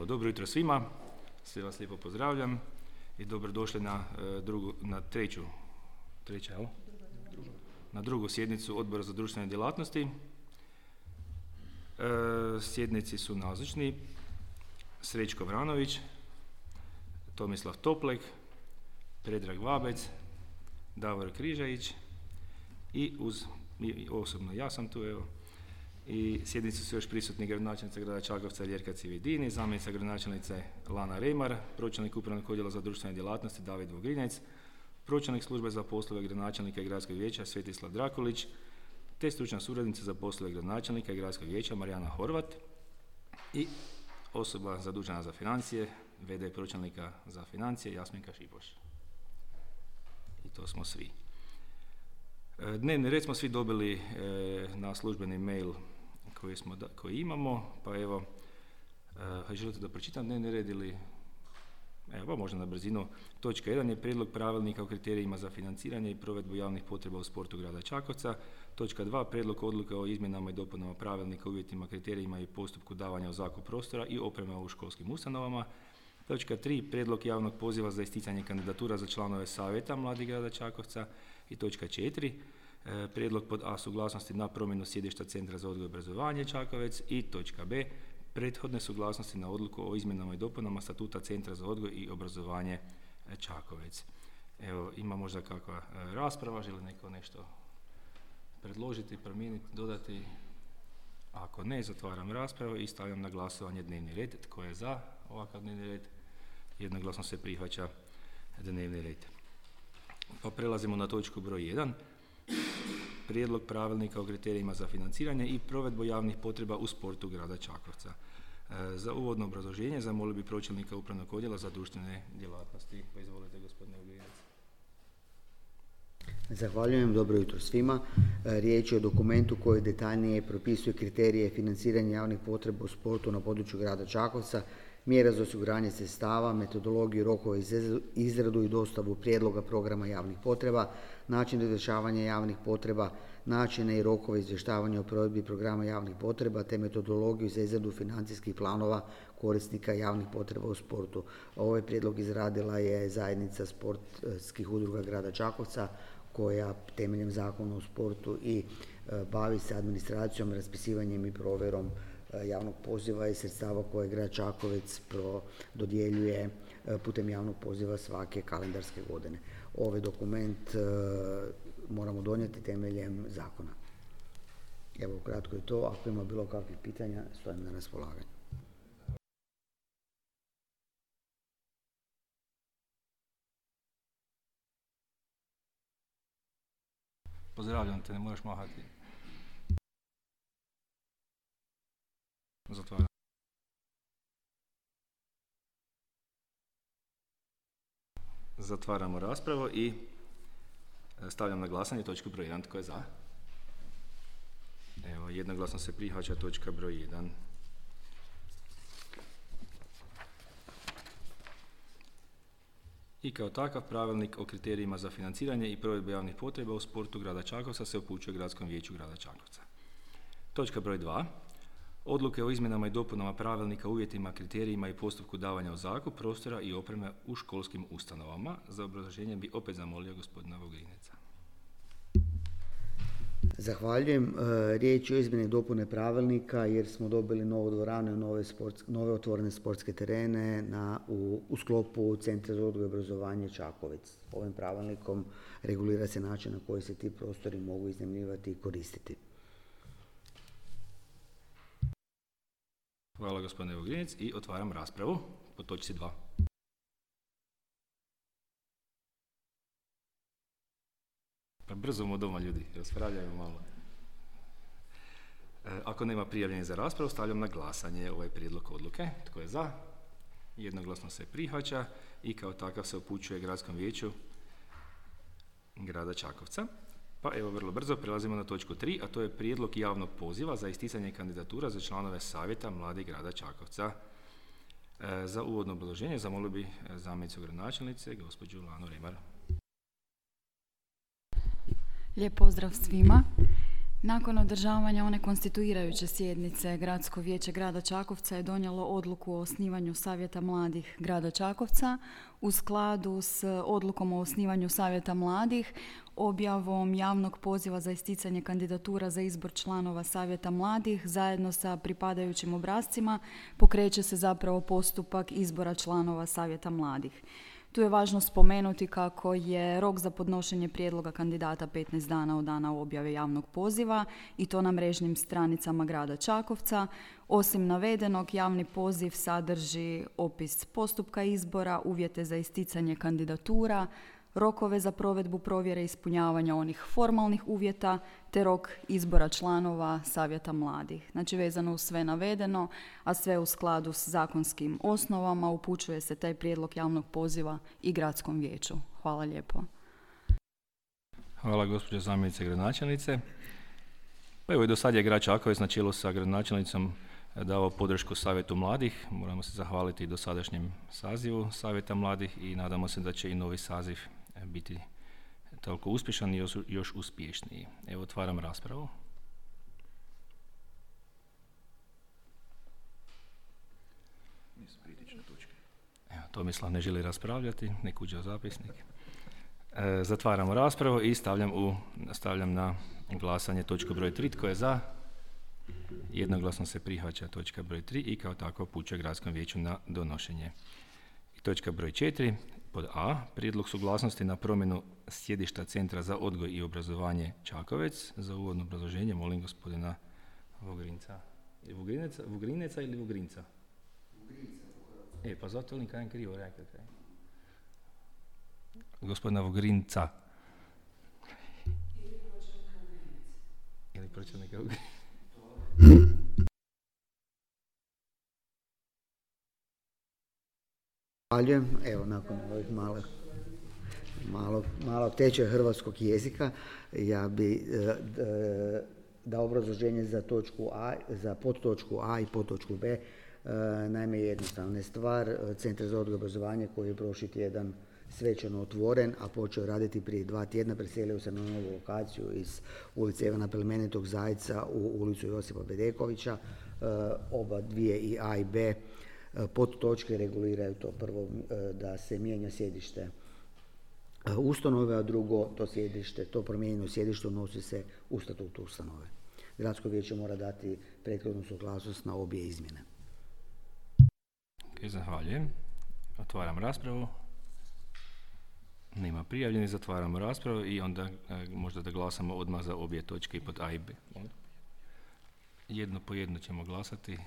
Evo, dobro jutro svima, sve vas lijepo pozdravljam i dobrodošli na drugu sjednicu Odbora za društvene djelatnosti. Sjednici su nazočni Srećko Vranović, Tomislav Toplek, Predrag Vabec, Davor Križajić i osobno ja sam tu, evo. I sjednici su još prisutni gradonačelnica grada Čakovca Ljerka Cividini, zamjenica gradonačelnice Lana Remar, pročelnik upravnog odjela za društvene djelatnosti David Vogrinec, pročelnik službe za poslove gradonačelnika i gradskog vijeća Svetislav Drakulić, te stručna suradnica za poslove gradonačelnika i gradskog vijeća Marijana Horvat i osoba zadužena za financije, VD pročelnika za financije Jasminka Šipoš. I to smo svi. Dnevni red smo svi dobili na službeni mail koji imamo, pa evo, želite da pročitam dnevni red ili... Evo, možda na brzinu. Točka 1 je prijedlog pravilnika o kriterijima za financiranje i provedbu javnih potreba u sportu grada Čakovca. Točka 2, prijedlog odluke o izmjenama i dopunama pravilnika, uvjetima, kriterijima i postupku davanja u zakup prostora i opreme u školskim ustanovama. Točka 3, prijedlog javnog poziva za isticanje kandidatura za članove savjeta mladih grada Čakovca. I točka 4, prijedlog pod A suglasnosti na promjenu sjedišta Centra za odgoj i obrazovanje Čakovec. I točka B, prethodne suglasnosti na odluku o izmjenama i dopunama statuta Centra za odgoj i obrazovanje Čakovec. Evo, ima možda kakva rasprava, želi neko nešto predložiti, promijeniti, dodati? Ako ne, zatvaram raspravu i stavljam na glasovanje dnevni red. Tko je za ovakav dnevni red? Jednoglasno se prihvaća dnevni red. Pa prelazimo na točku broj 1. Prijedlog pravilnika o kriterijima za financiranje i provedbu javnih potreba u sportu grada Čakovca. Za uvodno obrazloženje zamolio bi pročelnika upravnog odjela za društvene djelatnosti. Pa izvolite, gospodine Ugljinac. Zahvaljujem, dobro jutro svima. Riječ je o dokumentu koji detaljnije propisuje kriterije financiranja javnih potreba u sportu na području grada Čakovca, mjera za osiguranje sredstava, metodologiju, rokove za izradu i dostavu prijedloga programa javnih potreba, način izvršavanja javnih potreba, načine i rokove izvještavanja o provedbi programa javnih potreba te metodologiju za izradu financijskih planova korisnika javnih potreba u sportu. Ovaj prijedlog izradila je zajednica sportskih udruga grada Čakovca koja temeljem zakona o sportu i bavi se administracijom, raspisivanjem i provjerom javnog poziva i sredstava koje grad Čakovec dodjeljuje putem javnog poziva svake kalendarske godine. Ovaj dokument moramo donijeti temeljem zakona. Evo, kratko je to. Ako ima bilo kakvih pitanja, stojim na raspolaganju. Pozdravljam te, ne moraš mahati. Zatvaram. Zatvaramo raspravu i stavljam na glasanje točku broj 1. Tko je za? Evo, jednoglasno se prihvaća točka broj 1. I kao takav pravilnik o kriterijima za financiranje i provedbu javnih potreba u sportu grada Čakovca se upućuje Gradskom vijeću grada Čakovca. Točka broj 2. Odluke o izmjenama i dopunama pravilnika, uvjetima, kriterijima i postupku davanja u zakup prostora i opreme u školskim ustanovama. Za obrazloženje bi opet zamolio gospodina Vogrineca. Zahvaljujem. Riječ je o izmjeni i dopune pravilnika jer smo dobili novu dvoranu i nove otvorene sportske terene u sklopu Centra za odgoj i obrazovanje Čakovec. Ovim pravilnikom regulira se način na koji se ti prostori mogu iznajmljivati i koristiti. Hvala, gospodine Vogrinec, i otvaram raspravu po točci 2. Pa brzo mu doma, ljudi, raspravljaju malo. Ako nema prijavljenih za raspravu, stavljam na glasanje ovaj prijedlog odluke. Tko je za? Jednoglasno se prihvaća i kao takav se upućuje Gradskom vijeću grada Čakovca. Pa evo, vrlo brzo prelazimo na točku 3, a to je prijedlog javnog poziva za isticanje kandidatura za članove savjeta mladih grada Čakovca. Za uvodno obrazloženje zamolio bi zamjenicu gradonačelnice, gospođu Lanu Remar. Lijep pozdrav svima. Nakon održavanja one konstituirajuće sjednice, Gradsko vijeće grada Čakovca je donijelo odluku o osnivanju Savjeta mladih grada Čakovca. U skladu s odlukom o osnivanju Savjeta mladih, objavom javnog poziva za isticanje kandidatura za izbor članova Savjeta mladih zajedno sa pripadajućim obrascima pokreće se zapravo postupak izbora članova Savjeta mladih. Tu je važno spomenuti kako je rok za podnošenje prijedloga kandidata 15 dana od dana objave javnog poziva i to na mrežnim stranicama grada Čakovca. Osim navedenog, javni poziv sadrži opis postupka izbora, uvjete za isticanje kandidatura, rokove za provedbu provjere ispunjavanja onih formalnih uvjeta te rok izbora članova Savjeta mladih. Znači, vezano uz sve navedeno, a sve u skladu s zakonskim osnovama, upućuje se taj prijedlog javnog poziva i Gradskom vijeću. Hvala lijepo. Hvala gospođo zamjenice gradonačelnice. Pa evo i do sad je grad Čakovec na čelu sa gradonačelnicom dao podršku Savjetu mladih. Moramo se zahvaliti i dosadašnjem sazivu Savjeta mladih i nadamo se da će i novi saziv biti toliko uspješan i još uspješniji. Evo, otvaram raspravu. Evo, Tomislav ne želi raspravljati, nek uđe u zapisnik. Zatvaramo raspravu i stavljam na glasanje točku broj 3. Tko je za? Jednoglasno se prihvaća točka broj 3 i kao tako upućuje Gradskom vijeću na donošenje. I točka broj 4. Pod A. Prijedlog suglasnosti na promjenu sjedišta Centra za odgoj i obrazovanje Čakovec. Za uvodno obrazloženje molim gospodina Vogrinca. Vugrineca ili Vugrinca? Pa zato li kajem krivo rekao? Gospodina Vugrinca. Ili pročelnika Vugrinca. Zahvaljujem. Evo, nakon ovih malog tečaja hrvatskog jezika, ja bi dao obrazloženje za točku A, za podtočku A i podtočku B. Naime, jednostavna je stvar. Centar za odgoj i obrazovanje koji je prošli tjedan svečano otvoren, a počeo raditi prije 2 tjedna, preselio se na novu lokaciju iz ulice Ivana Plemenitog Zajca u ulicu Josipa Bedekovića. Oba dvije, i A i B, podtočke reguliraju to. Prvo, da se mijenja sjedište ustanove, a drugo, to promijenjeno sjedište unosi se u statut ustanove. Gradsko vijeće mora dati prethodnu suglasnost na obje izmjene. Zahvaljujem. Otvaram raspravu. Nema prijavljenih, zatvaramo raspravu i onda možda da glasamo odmah za obje točke i pod A i B. Jedno po jedno ćemo glasati,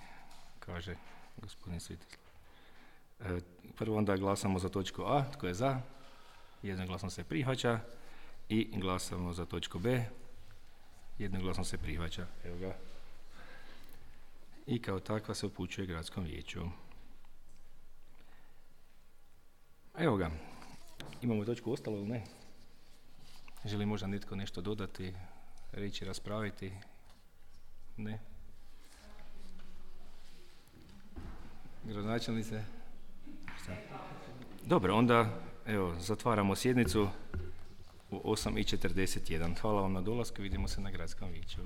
kaže gospodin Svetislav. Prvo onda glasamo za točku A, tko je za? Jednoglasno se prihvaća. I glasamo za točku B. Jednoglasno se prihvaća. Evo ga. I kao takva se upućuje Gradskom vijeću. Evo ga. Imamo točku ostalo ili ne? Želi možda netko nešto dodati, reći, raspraviti? Ne? Gradonačelnice? Dobro, onda evo, zatvaramo sjednicu u 8:41. Hvala vam na dolasku, vidimo se na Gradskom vijeću.